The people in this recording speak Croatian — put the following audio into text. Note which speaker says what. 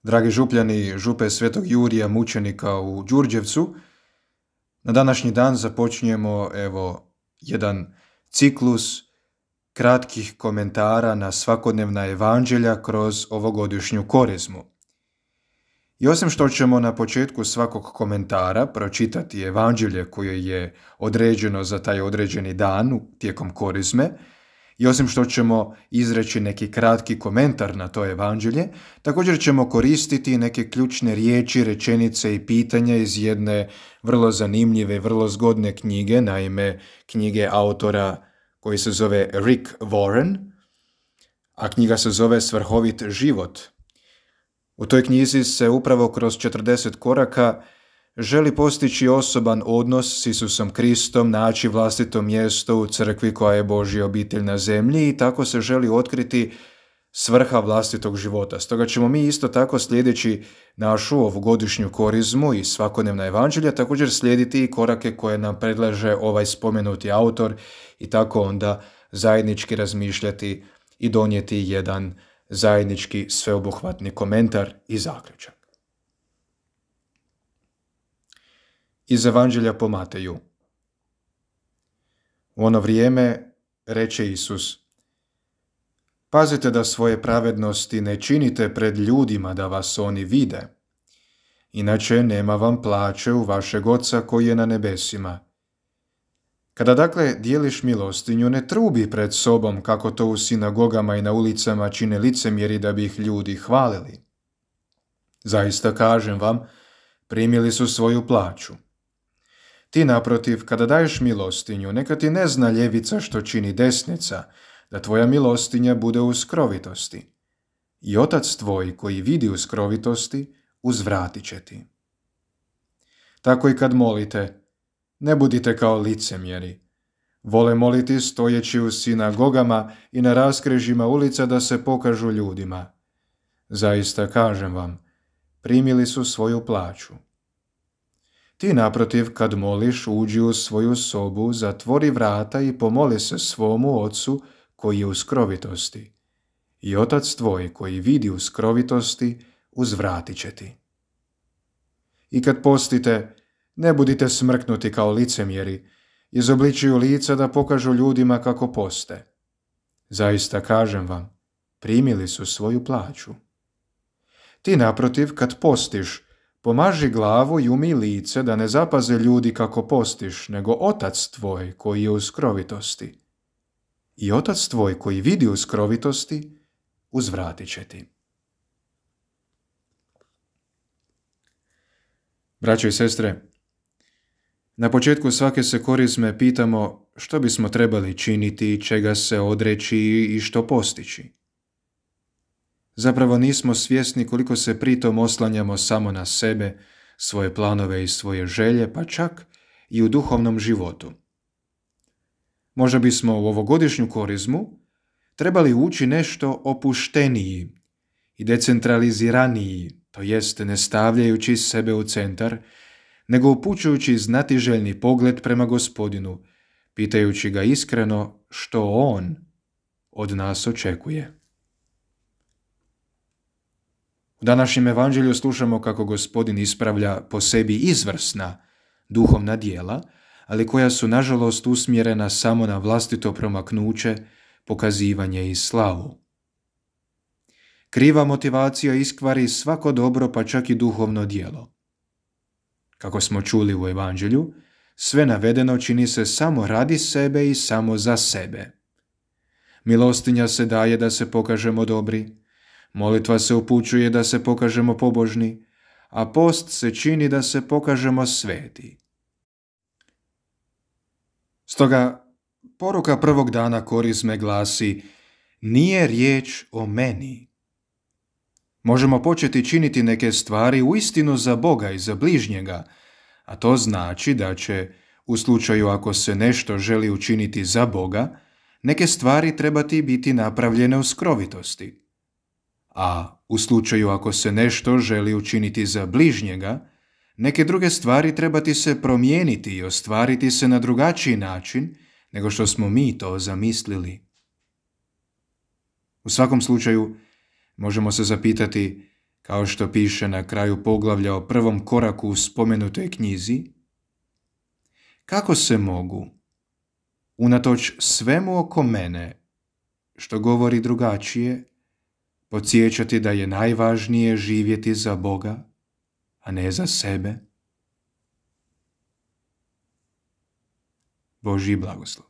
Speaker 1: Dragi župljani župe Svetog Jurija mučenika u Đurđevcu, na današnji dan započinjemo jedan ciklus kratkih komentara na svakodnevna evanđelja kroz ovogodišnju korizmu. I osim što ćemo na početku svakog komentara pročitati evanđelje koje je određeno za taj određeni dan tijekom korizme, i osim što ćemo izreći neki kratki komentar na to evanđelje, također ćemo koristiti neke ključne riječi, rečenice i pitanja iz jedne vrlo zanimljive, vrlo zgodne knjige, naime knjige autora koji se zove Rick Warren, a knjiga se zove Svrhovit život. U toj knjizi se upravo kroz 40 koraka želi postići osoban odnos s Isusom Kristom, naći vlastito mjesto u crkvi koja je Božja obitelj na zemlji i tako se želi otkriti svrha vlastitog života. Stoga ćemo mi isto tako slijedeći našu ovogodišnju korizmu i svakodnevna evanđelja također slijediti i korake koje nam predlaže ovaj spomenuti autor i tako onda zajednički razmišljati i donijeti jedan zajednički sveobuhvatni komentar i zaključak. Iz Evanđelja po Mateju. U ono vrijeme reče Isus: Pazite da svoje pravednosti ne činite pred ljudima da vas oni vide, inače nema vam plaće u vašeg Oca koji je na nebesima. Kada dakle dijeliš milostinju, ne trubi pred sobom kako to u sinagogama i na ulicama čine licemjeri da bi ih ljudi hvalili. Zaista kažem vam, primili su svoju plaću. Ti naprotiv, kada daješ milostinju, neka ti ne zna ljevica što čini desnica, da tvoja milostinja bude u skrovitosti. I Otac tvoj koji vidi u skrovitosti, uzvratit će ti. Tako i kad molite, ne budite kao licemjeri. Vole moliti stojeći u sinagogama i na raskrižjima ulica da se pokažu ljudima. Zaista kažem vam, primili su svoju plaću. Ti naprotiv, kad moliš, uđi u svoju sobu, zatvori vrata i pomoli se svomu Ocu koji je u skrovitosti. I Otac tvoj koji vidi u skrovitosti, uzvratit će ti. I kad postite, ne budite smrknuti kao licemjeri, izobličuju lica da pokažu ljudima kako poste. Zaista kažem vam, primili su svoju plaću. Ti naprotiv, kad postiš, pomaži glavu i umij lice da ne zapaze ljudi kako postiš, nego Otac tvoj koji je u skrovitosti. I Otac tvoj koji vidi u skrovitosti, uzvratit će ti. Braćo i sestre, na početku svake se korizme pitamo što bismo trebali činiti, čega se odreći i što postići. Zapravo nismo svjesni koliko se pritom oslanjamo samo na sebe, svoje planove i svoje želje, pa čak i u duhovnom životu. Možda bismo u ovogodišnju korizmu trebali ući nešto opušteniji i decentraliziraniji, to jest ne stavljajući sebe u centar, nego upućujući znatiželjni pogled prema Gospodinu, pitajući ga iskreno što On od nas očekuje. U današnjem evanđelju slušamo kako Gospodin ispravlja po sebi izvrsna duhovna djela, ali koja su nažalost usmjerena samo na vlastito promaknuće, pokazivanje i slavu. Kriva motivacija iskvari svako dobro, pa čak i duhovno djelo. Kako smo čuli u evanđelju, sve navedeno čini se samo radi sebe i samo za sebe. Milostinja se daje da se pokažemo dobri, molitva se upućuje da se pokažemo pobožni, a post se čini da se pokažemo sveti. Stoga, poruka prvog dana korizme glasi: nije riječ o meni. Možemo početi činiti neke stvari uistinu za Boga i za bližnjega, a to znači da će, u slučaju ako se nešto želi učiniti za Boga, neke stvari trebati biti napravljene u skrovitosti. A u slučaju ako se nešto želi učiniti za bližnjega, neke druge stvari trebati se promijeniti i ostvariti se na drugačiji način nego što smo mi to zamislili. U svakom slučaju, možemo se zapitati kao što piše na kraju poglavlja o prvom koraku u spomenutoj knjizi? Kako se mogu, unatoč svemu oko mene, što govori drugačije, podsjećati da je najvažnije živjeti za Boga, a ne za sebe? Božji blagoslov.